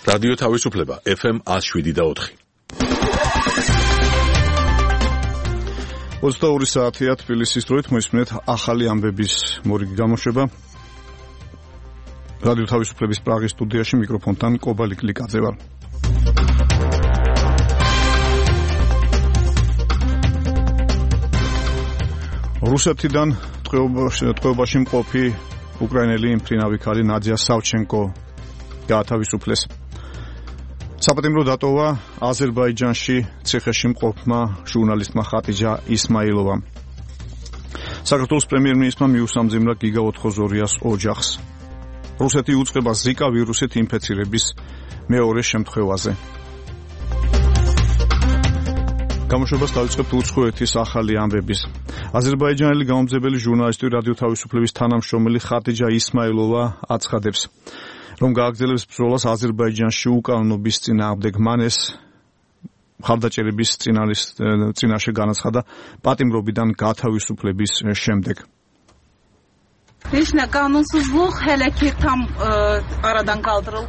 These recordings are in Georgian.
რადიო თავისუფლება FM 107.4. 22 საათია თბილისის დროით მოისმინეთ ახალი ამბების მორიგი გამოშვება. რადიო თავისუფლების პრაღის სტუდიაში მიკროფონთან კობალი კლიკაძე ვარ. რუსეთიდან ტყვეობაში მყოფი უკრაინელი მფრინავი ქალი ნადია სავჩენკო გაათავისუფლეს. საპატიმრო დატოვა აზერბაიჯანში ციხეში მყოფმა ჟურნალისტმა ხატიჯა ისმაილოვამ. საქართველოს პრემიერ-მინისტრმა მიუსამძიმრა გიგა ოთხოზორიას ოჯახს. რუსეთი უწყება ზიკა ვირუსით ინფექცირების მეორე შემთხვევაზე. გამოშვებას დავიწყებთ უცხოეთის ახალი ამბების. აზერბაიჯანელი გამომძებელი ჟურნალისტი რადიო თავისუფლების თანამშრომელი ხატიჯა ისმაილოვა აცხადებს, რომ გააგრძელებს ბრძოლას აზერბაიჯანში უკანონობის წინააღმდეგ. მან ეს მხარდაჭერების წინაშე განაცხადა პატიმრობიდან გათავისუფლების შემდეგ.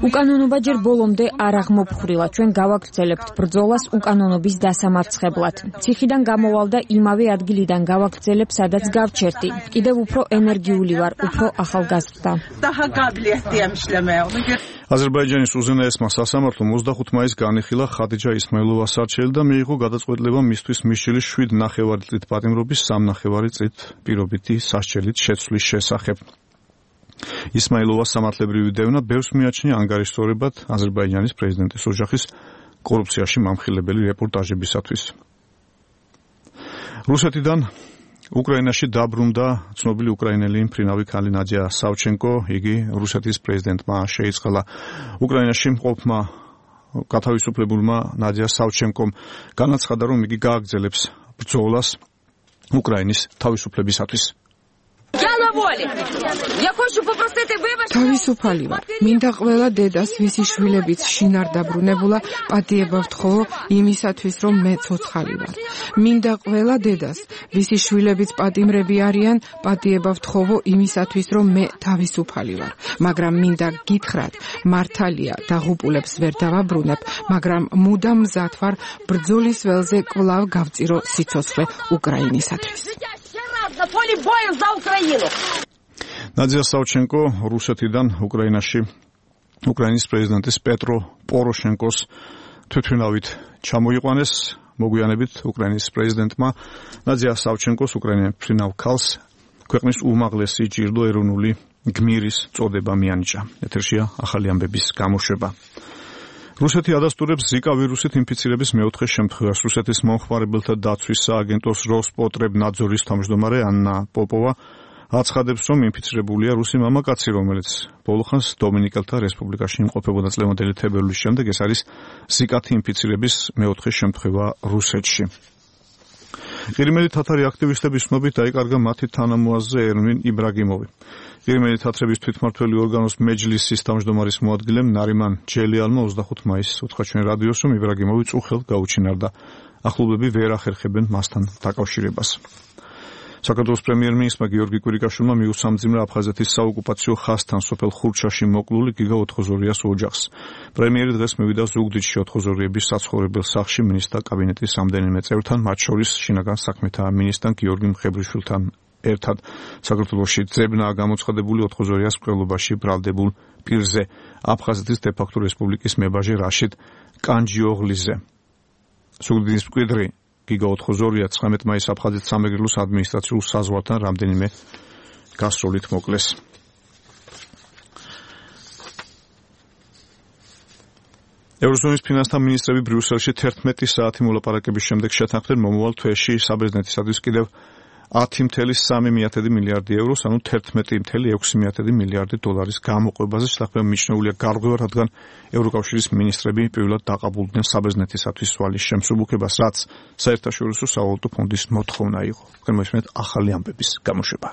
უკანონობა ჯერ ბოლომდე არ აღმოფხვრილა. ჩვენ გავაგრძელებთ ბრძოლას უკანონობის დასამარცხებლად. ციხიდან გამოვალ და იმავე ადგილიდან გავაგრძელებ, სადაც გავჩერდი. კიდევ უფრო ენერგიული ვარ, უფრო ახალგაზრდა. აზერბაიჯანის უზენაესმა სასამართლომ 25 მაისს განიხილა ხატიჯა ისმაილოვას არჩევი და მიიღო გადაწყვეტილება მისთვის მისჯილი 7,5 წლით პატიმრობის 3,5 წლით პირობითი სასჯელით შეცვლის შესახებ. ისმაილოვას სამართლებრივი დევნა ბევრს მიაჩნია ანგარიშსწორებად აზერბაიჯანის პრეზიდენტის ოჯახის კორუფციაში მამხილებელი რეპორტაჟებისათვის. რუსეთიდან უკრაინაში დაბრუნდა ცნობილი უკრაინელი მფრინავი ქალი ნადია სავჩენკო. იგი რუსეთის პრეზიდენტმა შეიწყალა. უკრაინაში მყოფმა გათავისუფლებულმა ნადია სავჩენკომ განაცხადა, რომ იგი გააგრძელებს ბრძოლას უკრაინის თავისუფლებისათვის. თავისუფალი ვარ. მინდა ყველა დედას, ვისი შვილებიც შინ არ დაბრუნებულა, პატიება ვთხოვო იმისათვის, რომ მე ცოცხალი ვარ. მინდა ყველა დედას, ვისი შვილებიც პატიმრები არიან, პატიება ვთხოვო იმისათვის, რომ მე თავისუფალი ვარ. მაგრამ მინდა გითხრათ, მართალია, დაღუპულებს ვერ დავაბრუნებ, მაგრამ მუდამ მზად ვარ ბრძოლის ველზე კვლავ გავწირო სიცოცხლე უკრაინისათვის. ნადია სავჩენკო რუსეთიდან უკრაინაში უკრაინის პრეზიდენტის პეტრო პოროშენკოს თვითმფრინავით ჩამოიყვანეს. მოგვიანებით უკრაინის პრეზიდენტმა ნადია სავჩენკოს უკრაინის მფრინავ ქალს ქვეყნის უმაღლესი ჯილდო ეროვნული გმირის წოდება მიანიჭა. ეთერშია ახალი ამბების გამოშვება. რუსეთი ადასტურებს ზიკა ვირუსით ინფიცირების მეოთხე შემთხვევას. რუსეთის მომხმარებელთა დაცვის სააგენტოს როსპოტრებნაძორის თავმჯდომარე ანნა პოპოვა აცხადებს, რომ ინფიცირებულია რუსი მამაკაცი, რომელიც ბოლოხანს დომინიკელთა რესპუბლიკაში იმყოფებოდა წლევანდელი თებერვლის შემდეგ. ეს არის ზიკათი ინფიცირების მეოთხე შემთხვევა რუსეთში. ყირიმელი თათარი აქტივისტების ცნობით დაიკარგა მათი თანამოაზრე ერვინ იბრაგიმოვი. ყირიმელი თათრების თვითმმართველი ორგანოს მეჯლისის თავმჯდომარის მოადგილემ ნარიმან ჯელიალმა 25 მაისს უთხრა ჩვენ რადიოს, რომ იბრაგიმოვი წუხელს გაუჩინარდა. ახლობლები ვერ ახერხებენ მასთან დაკავშირებას. საქართველოს პრემიერ-მინისტრმა გიორგი კვირიკაშვილმა მიუსამძიმრა აფხაზეთის საოკუპაციო ხაზთან სოფელ ხურჩაში მოკლული გიგა ოთხოზორიას ოჯახს. პრემიერი დღეს მივიდა ზუგდიდში ოთხოზორიების საცხოვრებელ სახლში მინისტრთა კაბინეტის რამდენიმე წევრთან, მათ შორის შინაგან საქმეთა მინისტრთან გიორგი მხებრიშვილთან ერთად. საქართველოში ძებნაა გამოცხადებული ოთხოზორიას მკვლელობაში ბრალდებულ პირზე, აფხაზეთის დე-ფაქტო რესპუბლიკის მებაჟე რაშიდ კანჯიოღლიზე. ზუგდიდის მკვიდრი გიგა ოთხოზორია 19 მაისს აფხაზეთის სამეგრელოს ადმინისტრაციულ საზღვართან რამდენიმე გასროლით მოკლეს. ევროზონის ფინანსთა მინისტრები ბრიუსელში 11 საათი მოლაპარაკების შემდეგ შეთანხმდნენ მომავალ თვეში საბერძნეთისათვის კიდევ 10,3 მილიარდი ევროს, ანუ 11,6 მილიარდი დოლარის გამოყვებაზე. შეთანხმება მიჩნეულია გარღვევა, რადგან ევროკავშირის მინისტრები პირველად დაყაბულდნენ საბერძნეთისათვის ვალის შემსუბუქებას, რაც საერთაშორისო სავალუტო ფონდის მოთხოვნა იყო. მოისმენთ ახალი ამბების გამოშვება.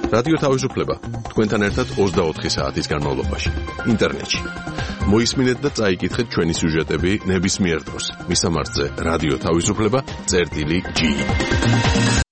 რადიო თავისუფლება თქვენთან ერთად 24 საათის განმავლობაში ინტერნეტში. მოისმინეთ და წაიკითხეთ ჩვენი სიუჟეტები ნებისმიერ დროს. მისამართზე რადიო თავისუფლება წერტილი G.